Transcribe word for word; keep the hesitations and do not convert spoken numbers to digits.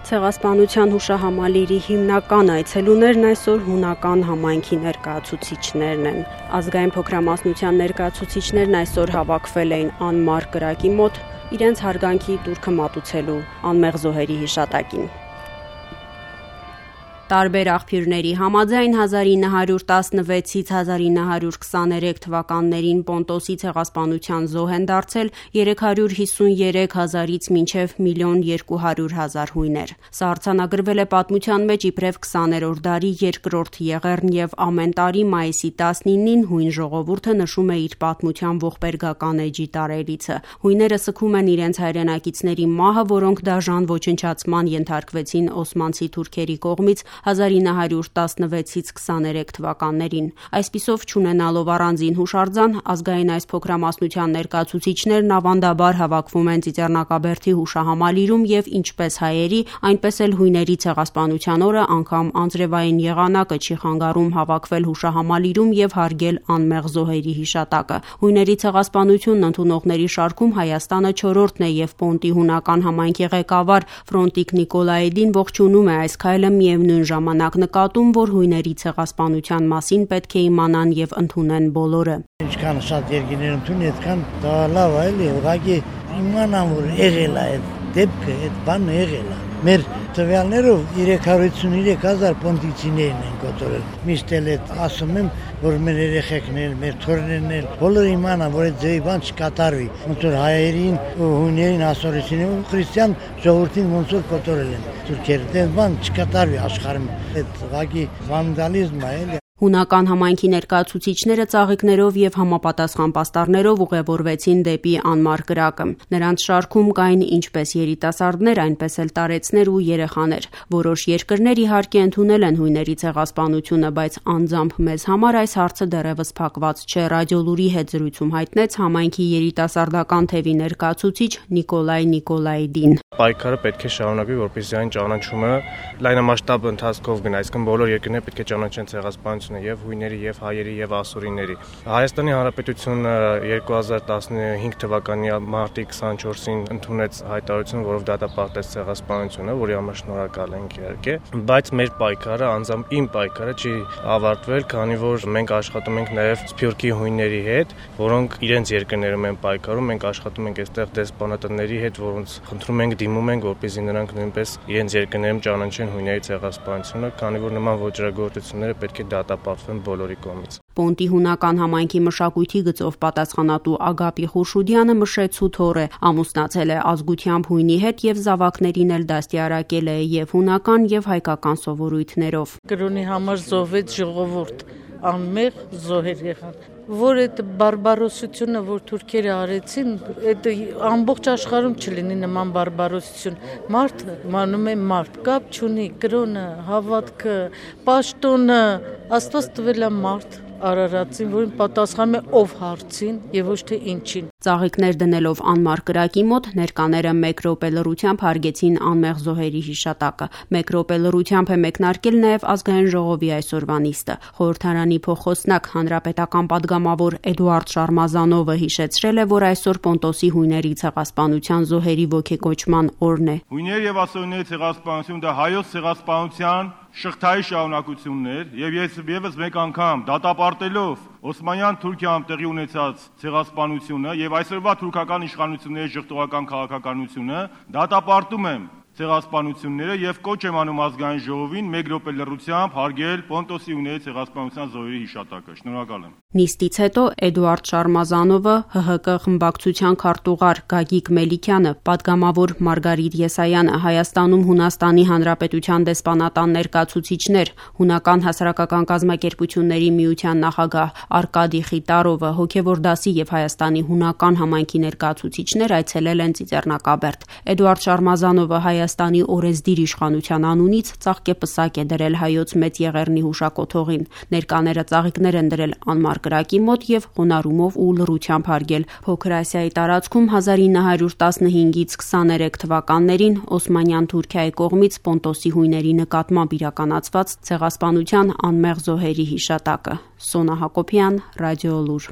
Ցեղասպանության հուշահամալիրի հիմնական այցելուներն այսօր հունական համայնքի ներկայացուցիչներն են։ Ազգային փոքրամասնության ներկայացուցիչներն այսօր հավաքվել էին անմար կրակի մոտ իրենց հարգանքի տուրքը մատուցելու անմեղ զոհերի հիշատակին։ Տարբեր աղբյուրների համաձայն հազար ինը հարյուր տասնվեցից հազար ինը հարյուր քսաներեք թվականներին Պոնտոսի ցեղասպանության զոհ են դարձել երեք հարյուր հիսուներեք հազարից մինչև միլիոն երկու հարյուր հազար հույներ։ Սա արձանագրվել է պատմության մեջ իբրև քսաներորդ դարի երկրորդ եղեռն եւ ամեն տարի մայիսի տասնինին հույն ժողովուրդը նշում է իր պատմության ողբերգական էջի տարելիցը։ Հույները սգում են իրենց հայրենակիցների մահը, որոնք դաժան ոչնչացման ենթարկվեցին օսմանցի թուրքերի կողմից հազար ինը հարյուր տասնվեցից քսաներեք թվականներին։ Այսպիսով, չունենալով առանձին հուշարձան, ազգային այս փոքրամասնության ներկայացուցիչներն ավանդաբար հավաքվում են Ծիծեռնակաբերդի հուշահամալիրում եւ ինչպես հայերի, այնպես էլ հույների ցեղասպանության օրը անգամ անձրևային եղանակը չի խանգարում հավաքվել հուշահամալիրում եւ հարգել անմեղ զոհերի հիշատակը։ Հույների ցեղասպանությունն ընդունողների շարքում Հայաստանը չորրորդն է եւ Պոնտի հունական համայնքի ղեկավար Ֆրոնտիկ Նիկոլաիդին ողջունում է այս քայլը միևնույն ժամանակ նկատում, որ հույների ցեղասպանության մասին պետք է իմանան եւ ընդունեն բոլորը։ Ինչքան շատ երկիներ ընդունի, այդքան դա լավ է, էլի, ուղղակի իմանան, որ եղել է այդ դեպքը, այդ բանը եղել է։ Մեր տվյալներով երեք հարյուր հիսուներեք հազար պոնտիցիներն են կոտորել։ Միշտ էլ այդ ասում եմ, որ մեր երեխեքներ, մեր թորներն էլ բոլորը իմանան, որ այդ ձեւի բան չկատարվի։ Ոնց որ հայերին, հույներին, ասորեցին ու քրիստիան ժողովրդին ոնց որ կոտորել են թուրքերը։ Այդ բան չկատարվի աշխարհում։ Այդ ուղղակի վանդալիզմ է, էլի։ Հունական համայնքի ներկայացուցիչները ծաղիկներով եւ համապատասխան պաստառներով ուղևորվեցին դեպի անմար կրակը։ Նրանց շարքում կային ինչպես երիտասարդներ, այնպես էլ տարեցներ ու երեխաներ։ Որոշ երկրներ իհարկե ընդունել են հույների ցեղասպանությունը, բայց անձամբ մեզ համար այս հարցը դեռևս փակված չէ։ Ռադիոլուրի հետ զրույցում հայտնեց համայնքի երիտասարդական թևի ներկայացուցիչ Նիկոլայ Նիկոլաիդին։ Պայքարը պետք է շարունակվի, որպեսզի այն ճանաչումը լայնամասշտաբ ընթացքով գնա, այսինքն բոլոր երկրները պետք է ճանաչեն ցեղասպանությունը եւ հույների եւ հայերի եւ ասորիների։ Հայաստանի Հանրապետությունը երկու հազար տասնհինգ թվականի մարտի քսանչորսին ընդունեց հայտարարություն, որով դատապարտեց ցեղասպանությունը, որի համար շնորհակալ ենք իհարկե, բայց մեր պայքարը, անձամբ իմ պայքարը չի ավարտվել, քանի որ մենք աշխատում ենք նաեւ սփյուռքի հույների հետ, որոնք իրենց երկրներում են պայքարում, մենք աշխատում ենք այստեղ դեսպանատների հետ, որոնց խնդրում ենք դիմում ենք, որպեսզի նրանք նույնպես իրենց երկրներում ճանաչեն հույների ցեղասպանությունը, քանի որ նման ոճրագործությունները պետք է դատապարտվեն բոլորի կողմից։ Պոնտի հունական համայնքի մշակույթի գծով պատասխանատու Ագապի Խուրշուդյանը Մշեցու թոռ է, ամուսնացել է ազգությամբ հույնի հետ եւ զավակներին էլ դաստիարակել է եւ հունական եւ հայկական սովորույթներով։ Կրոնի համար զոհվեց ժողովուրդ, անմեղ զոհեր եղան, որ այդ բարբարոսությունը, որ թուրքերը արեցին, այդ ամբողջ աշխարհում չլինի նման բարբարոսություն։ Մարդը մանում է մարդ, կապ չունի կրոնը, հավատքը, պաշտոնը, Աստված տվել է մարդ Արարածին, որին պատասխանում է ով հարցին եւ ոչ թե ինչին։ Ծաղիկներ դնելով անմար կրակի մոտ ներկաները մեկ րոպե լռությամբ հարգեցին անմեղ զոհերի հիշատակը։ Մեկ րոպե լռությամբ է մեկնարկել նաեւ ազգային ժողովի այսօրվա նիստը։ Խորհրդարանի փոխոսնակ հանրապետական падգամավոր Էդուարդ Շարմազանովը հիշեցրել է, որ այսօր Պոնտոսի հույների ցեղասպանության զոհերի ոգեկոչման օրն է։ Հույներ եւ ասորիների ցեղասպանություն դա հայոց ցեղասպանության շղթայի շարունակությունն էր եւ ես եւս մեկ անգամ դատապարտելով Օսմանյան Թուրքիայում տեղի ունեցած ցեղասպանությունը եւ այսօրվա թուրքական իշխանությունների ժխտողական քաղաքականությունը դատապարտում եմ ցեղասպանությունները եւ կոչ եմ անում ազգային ժողովին մեկ րոպե լռությամբ հարգել Պոնտոսի հույների ցեղասպանության զոհերի հիշատակը։ Շնորհակալ եմ։ Նիստից հետո Էդուարդ Շարմազանովը, Հ Հ Կ խմբակցության քարտուղար Գագիկ Մելիքյանը, падգամավոր Մարգարիտ Եսայանը, Հայաստանում Հունաստանի Հանրապետության դեսպանատան ներկայացուցիչներ, Հունական հասարակական կազմակերպությունների միության նախագահ Արկադի Խիտարովը, հոգևոր դասի եւ Հայաստանի հունական համայնքի ներկայացուցիչներ այցելել են Ծիծեռնակաբերդ։ Էդուարդ Շարմազանովը Հայաստանի օրենսդիր իշխանության անունից ծաղկեպսակ է դրել հայոց մեծ եղեռնի հուշակոթողին։ Ներկաները ծաղիկներ են դրել անմար կրակի մոտ եւ խոնարհումով ու լռությամբ հարգել Փոքր Ասիայի տարածքում հազար ինը հարյուր տասնհինգից քսաներեք թվականներին Օսմանյան Թուրքիայի կողմից Պոնտոսի հույների նկատմամբ իրականացված ցեղասպանության անմեղ զոհերի հիշատակը։ Սոնա Հակոբյան, Ռադիոլուր։